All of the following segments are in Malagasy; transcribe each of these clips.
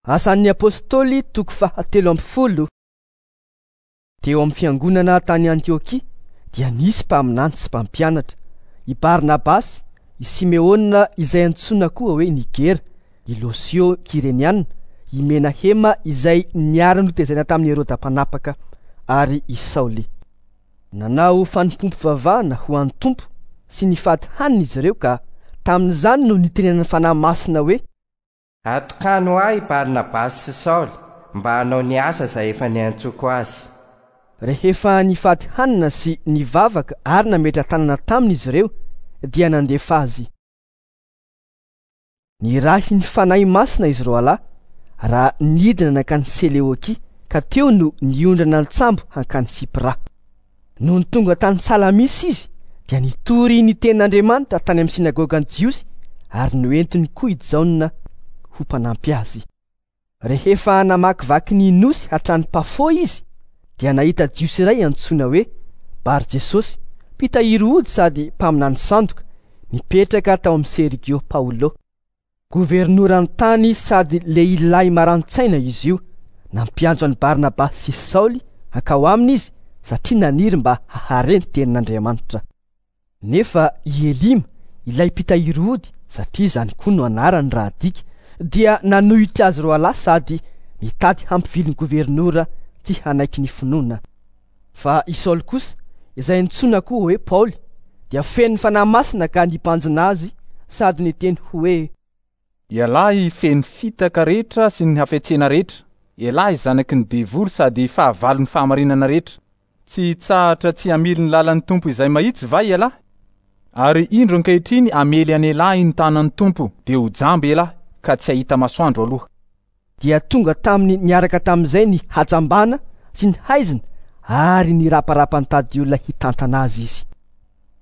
Asan'ny Apostoly toko faha-13. Teo amin'ny fiangonana tany Antiokia dia nisy mpaminany sy mpampianatra, i Barnabasy, i Simeona izay antsoina koa hoe Nigera, i Losio Kyreniana, i Menahema izay niara-notezaina tamin'i Heroda mpanapaka, ary i Saoly. Nanao fanompoam-pivavahana ho an'ny Tompo sy nifady hanina izy ireo ka tamin'izany no nitenenan'ny Fanahy Masina hoe. Atokano ahy i Barnabasy sy Saoly mba hanao ny asa izay efa niantsoako azy. Rehefa nifady hanina sy nivavaka ary nametra-tanana taminy izy ireo, dia nandefa azy. Nirahin'ny Fanahy Masina izy roalahy raha nidina nankany Seleokia, ka teo no niondrana an-tsambo hankany Sipra. Nony tonga tany Salamisy izy, dia nitory ny tenin'Andriamanitra tany amin'ny synagogan'ny Jiosy ary noentiny koa i Jaona ho mpanampy azy. Rehefa namakivaky ny nosy hatrany Pafo izy, dia nahita Jiosy iray antsoina hoe Bar-Jesosy, mpitahiry ody sady mpaminany sandoka, nipetraka tao amin'i Sergio Paolo. Governoran'ny tany sady lehilahy maran-tsaina izy io. Nampiantso an'i Barnabasy sy Saoly hankao aminy izy, satria naniry mba hahare ny tenin'Andriamanitra. Nefa i Elima, ilay mpitahiry ody, satria izany koa no anarany raha adika, dia nanohitra azy roalahy sady nitady hampivily ny governora tsy hanaiky ny finoana. Fa i Saoly kosa, izay antsoina koa hoe Paoly, dia feno ny Fanahy Masina ka nibanjina azy sady niteny hoe. Ialahy feno fitaka rehetra sy ny hafetsena rehetra, ialahy zanaky ny devoly sady fahavalon'ny fahamarinana rehetra. Tsy hitsahatra tsy hamily ny lalan'ny Tompo izay mahitsy va ialahy? Ary indro ankehitriny hamely an'ialahy ny tanan'ny Tompo, dia ho jamba ialahy, ka tsy hahita masoandro aloha. Dia tonga taminy niaraka tamin'izay ny hajambana sy ny haizina ary niraparapa nitady olona hitantana azy izy.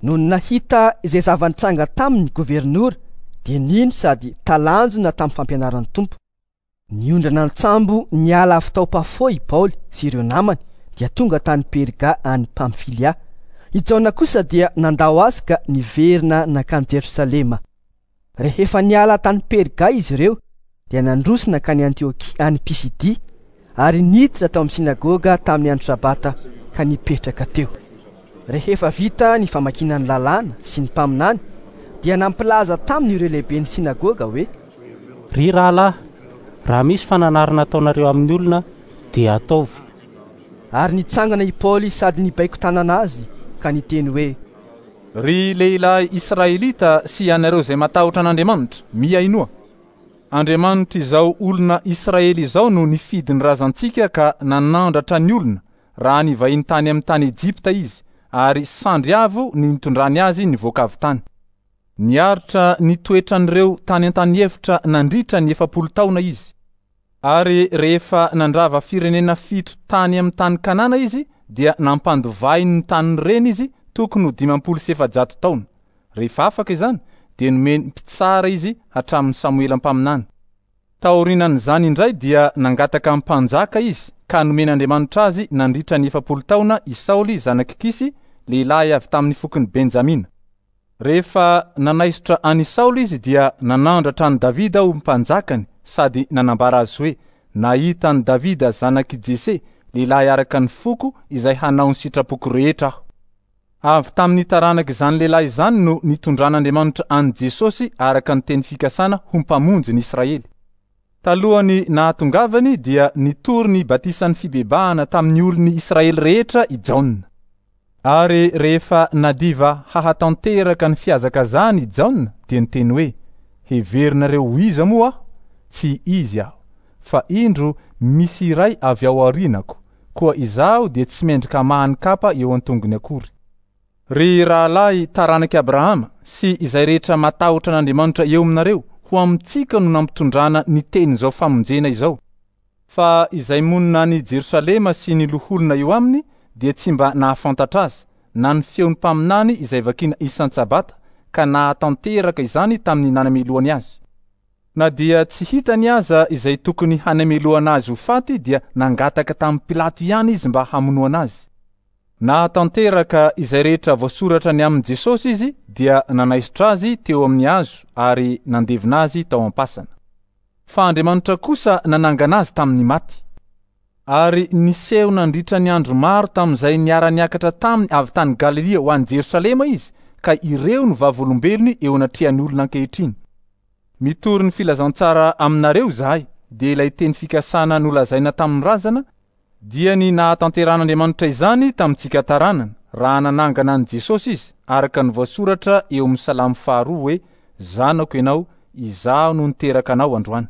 Nony nahita izay zava-nitranga taminy ny governora, dia nino sady talanjona tamin'ny fampianaran'ny Tompo. Niondrana an-tsambo niala avy tao Pafo i Paoly sy ireo namany dia tonga tany Perga any Pamfilia. I Jaona kosa dia nandao azy ka niverina nankany Jerosalema. Rehefa niala tany Perga izy ireo dia nandroso nankany Antiokia any Pisidia ary niditra tao amin'ny synagoga tamin'ny andro Sabata ka nipetraka teo. Rehefa vita ny famakiana ny Lalàna sy ny Mpaminany dia nampilaza taminy ireo lehiben'ny synagoga hoe. Ry rahalahy, raha misy fananarana ataonareo amin'ny olona, dia ataovy. Ary nitsangana i Paoly sady nibaiko tanana azy ka niteny hoe. Ry lehilahy Israelita sy ianareo izay matahotra an'Andriamanitra, mihainoa! Andriamanitr'izao olona Israely izao no nifidy ny razantsika ka nanandratra ny olona raha nivahiny tany amin'ny tany Egypta izy, ary sandry avo ny nitondrany azy nivoaka avy tany. Niaritra ny toetran'ireo tany an-taniefitra nandritra ny 40 taona izy. Ary rehefa nandrava firenena fito tany amin'ny tany Kanana izy, dia nampandovainy ny tanin'ireny izy tokony ho 450 taona. Rehefa afaka izany, dia nomeny mpitsara izy hatramin'i Samoela mpaminany. Taorianan'izany indray dia nangataka mpanjaka izy, ka nomen'Andriamanitra azy nandritra ny 40 taona i Saoly zanak'i Kisy, lehilahy avy tamin'ny fokon'i Benjamina. Rehefa nanaisotra an'i Saoly izy dia nanandratra an'i Davida ho mpanjakany sady nanambara azy hoe, Nahita an'i Davida zanak'i Jese, lehilahy araka ny foko, izay hanao ny sitrapoko rehetra aho. Avy tamin'ny taranak'izany lehilahy izany no nitondran'Andriamanitra an'i Jesosy araka ny teny fikasana ho Mpamonjy ny Israely. Talohan'ny nahatongavany dia nitory ny batisan'ny fibebahana tamin'ny olon'ny Israely rehetra i Jaona. Ary rehefa nadiva hahatanteraka ny fihazakazahany i Jaona dia niteny hoe, Heverinareo ho iza moa aho? Tsy izy aho. Fa indro misy iray avy ao aorianako, koa izaho dia tsy mendrika hamaha ny kapa eo an-tongony akory. Ry rahalahy taranak'i Abrahama sy izay rehetra matahotra an'Andriamanitra eo aminareo, ho amintsika no nampitondrana ny tenin'izao famonjena izao. Fa izay monina any Jerosalema sy ny loholona eo aminy dia tsy mba nahafantatra azy, na ny feon'ny mpaminany izay vakina isan-tsabata, ka nahatanteraka izany tamin'ny nanamelohany azy. Na dia tsy hitany aza izay tokony hanamelohana azy ho faty dia nangataka tamin'i Pilato ihany izy mba hamonoana azy. Nahatanteraka izay rehetra voasoratra ny amin'i Jesosy izy dia nanaisotra azy teo amin'ny hazo ary nandevina azy tao am-pasana. Fa Andriamanitra kosa nanangana azy tamin'ny maty. Ary niseho nandritra ny andro maro tamin'izay niara-niakatra taminy avy tany Galilia ho any Jerosalema izy, ka ireo no vavolombelony eo anatrehan'ny olona ankehitriny. Mitory ny filazantsara aminareo izahay, dia ilay teny fikasana nolazaina tamin'ny razana, dia ny nahatanterahan'Andriamanitra izany tamintsika taranany, raha nanangana an'i Jesosy izy, araka ny voasoratra eo amin'ny Salamo faharoa hoe, Zanako ianao, izaho no niteraka anao androany.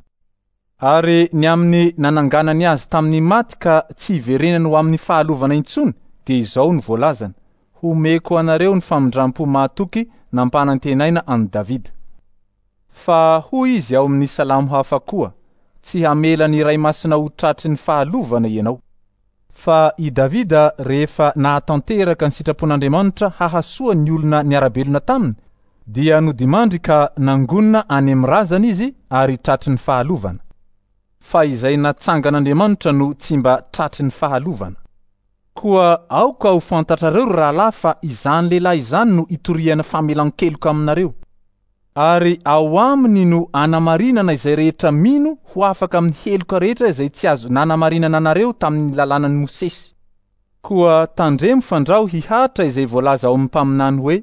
Ary ny amin'ny nananganany azy tamin'ny maty ka tsy hiverenany ho amin'ny fahalovana intsony, dia izao no voalazany, Homeko anareo ny famindrampo mahatoky nampanantenaina an'i Davida. Fa hoy izy ao amin'ny salamo hafa koa, Tsy hamela ny Iray Masina ho tratry ny fahalovana ianao. Fa i Davida rehefa nahatanteraka ny sitrapon'Andriamanitra hahasoa ny olona niara-belona taminy, dia nodimandry ka nangonina any amin'ny razany izy ary tratry ny fahalovana. Fa izay natsangan'Andriamanitra no tsy mba tratry ny fahalovana. Koa aoka ho fantatrareo, ry rahalahy, fa izany lehilahy izany no itoriana famelan-keloka aminareo. Ary ao aminy no anamarinana izay rehetra mino ho afaka amin'ny heloka rehetra izay tsy azo nanamarinana anareo tamin'ny lalànan'i Mosesy. Koa tandremo fandrao hihatra izay voalaza ao amin'ny mpaminany hoe,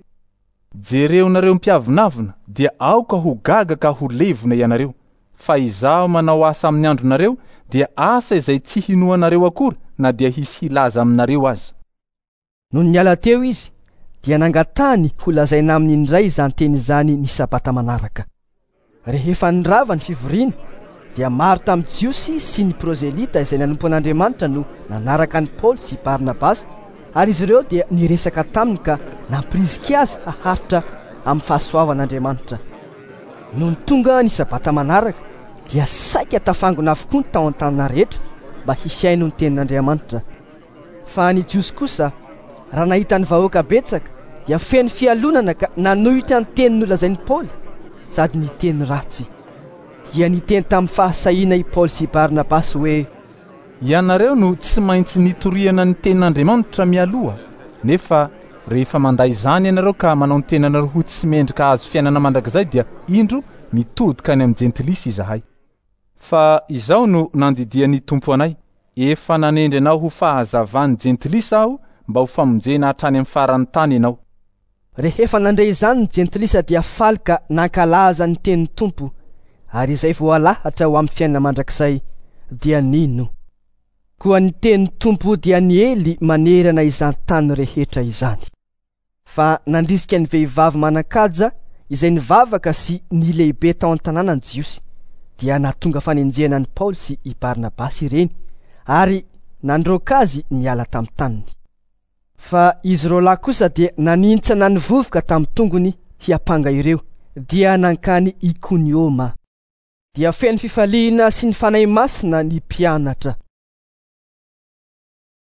Jereonareo mpiavonavona, dia aoka ho gaga ka ho levona ianareo, fa izaho manao asa amin'ny andronareo, dia asa izay tsy hinoanareo akory na dia hisy hilaza aminareo aza. Nony niala teo izy, dia nangatahany holazaina aminy indray izany teny izany ny Sabata manaraka. Rehefa nirava ny fivoriana, dia maro tamin'ny Jiosy sy ny prozelita izay nanompo an'Andriamanitra no nanaraka an'i Paoly sy Barnabasy, ary izy ireo dia niresaka taminy ka nampirisika azy haharitra amin'ny fahasoavan'Andriamanitra. Nony tonga ny Sabata manaraka, dia saika tafangona avokoa ny tao an-tanàna rehetra mba hihaino ny tenin'Andriamanitra. Fa ny Jiosy kosa, raha nahita ny vahoaka betsaka, dia feno fialonana ka nanohitra ny teny nolazain'i Paoly sady niteny ratsy. Dia niteny tamin'ny fahasahiana i Paoly sy i Barnabasy hoe. Ianareo no tsy maintsy nitoriana ny tenin'Andriamanitra mialoha, nefa rehefa mandà izany ianareo ka manao ny tenanareo ho tsy mendrika hahazo fiainana mandrakizay dia indro mitodika any amin'ny jentilisa izahay. Fa izao no nandidian'ny Tompo anay, Efa nanendry anao ho fahazavan'ny jentilisa Aho mba ho famonjena hatrany amin'ny faran'ny tany ianao. Rehefa nandre izany ny jentilisa dia faly ka nankalaza ny tenin'ny Tompo, ary izay voalahatra ho amin'ny fiainana mandrakizay dia nino. Koa ny tenin'ny Tompo dia niely manerana izany tany rehetra izany. Fa nandrisika ny vehivavy manan-kaja izay nivavaka sy ny lehibe tao an-tanàna ny Jiosy, dia nahatonga fanenjehana an'i Paoly sy i Barnabasy ireny, ary nandroaka azy niala tamin'ny taniny. Fa izy roalahy kosa dia nanintsana ny vovoka tamin'ny tongony hiampanga ireo, dia nankany Ikonioma. Dia feno fifaliana sy ny Fanahy Masina ny mpianatra.